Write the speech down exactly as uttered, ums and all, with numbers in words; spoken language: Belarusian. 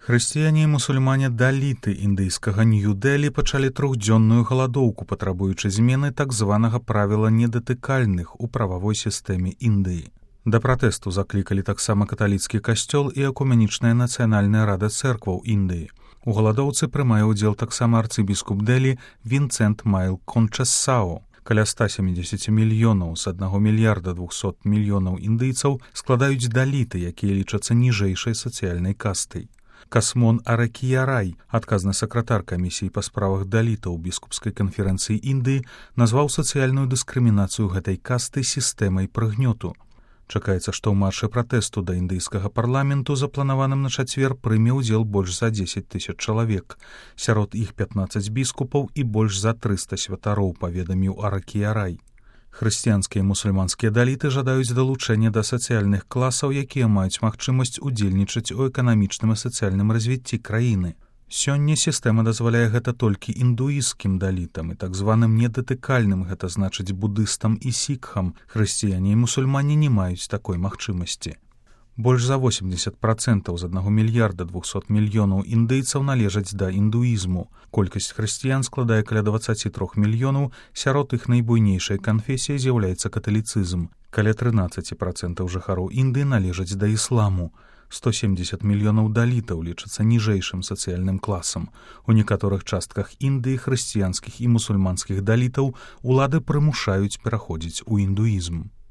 Хрысціяне і мусульмане даліты індыйскага Нью-Дэлі пачалі трохдзённую галадоўку, патрабуючы змены так званага правіла недатыкальных у прававой сістэме Індыі. Да пратэсту заклікалі таксама каталіцкі касцёл і экуменічная нацыянальная рада цэркваў Індыі. У галадоўцы прымае ўдзел таксама арцыбіскуп Дэлі Вінцэнт Майл Кончэссао. Каля ста сямідзесяці мільёнаў з аднаго мільярда двухсот мільёнаў індыйцаў складаюць даліты, якія лічацца ніжэйшай сацыяльнай кастай. Касмон Аракіярай, адказны сакратар камісіі па справах далітаў біскупскай канферэнцыі Індыі, назваў сацыяльную дыскрымінацыю гэтай касты сістэмай прыгнёту. Чакаецца, што ў маршы пратэсту да індыйскага парламенту, запланаваным на чацвер, прыме ўдзел больш за дзесяць тысяч чалавек. Сярод іх пятнаццаць біскупаў і больш за трыста святароў, паведаміў Аракіярай. Хрысціянскія і мусульманскія даліты жадаюць далучэння да сацыяльных класаў, якія маюць магчымасць удзельнічаць у эканамічным і сацыяльным развіцці краіны. Сёння сістэма дазваляе гэта толькі індуісцкім далітам і так званым недатыкальным, гэта значыць будыстам і сікхам. Хрысціяне і мусульмане не маюць такой магчымасці. Больш за восемьдесят процентаў з аднаго мільярда двухсот мільёнаў індыйцаў належаць да індуізму. Колькасць хрысціян складае каля дваццаць тры мільёнаў, сярод іх найбуйнейшай канфесіяй з'яўляецца каталіцызм. Каля трынаццаць процентаў жыхароў Індыі належаць да ісламу. сто семьдесят мільёнаў далітаў лічацца ніжэйшым сацыяльным класам. У некаторых частках Індыі хрысціянскіх і мусульманскіх далітаў улады прымушаюць пераходзіць у індуізм.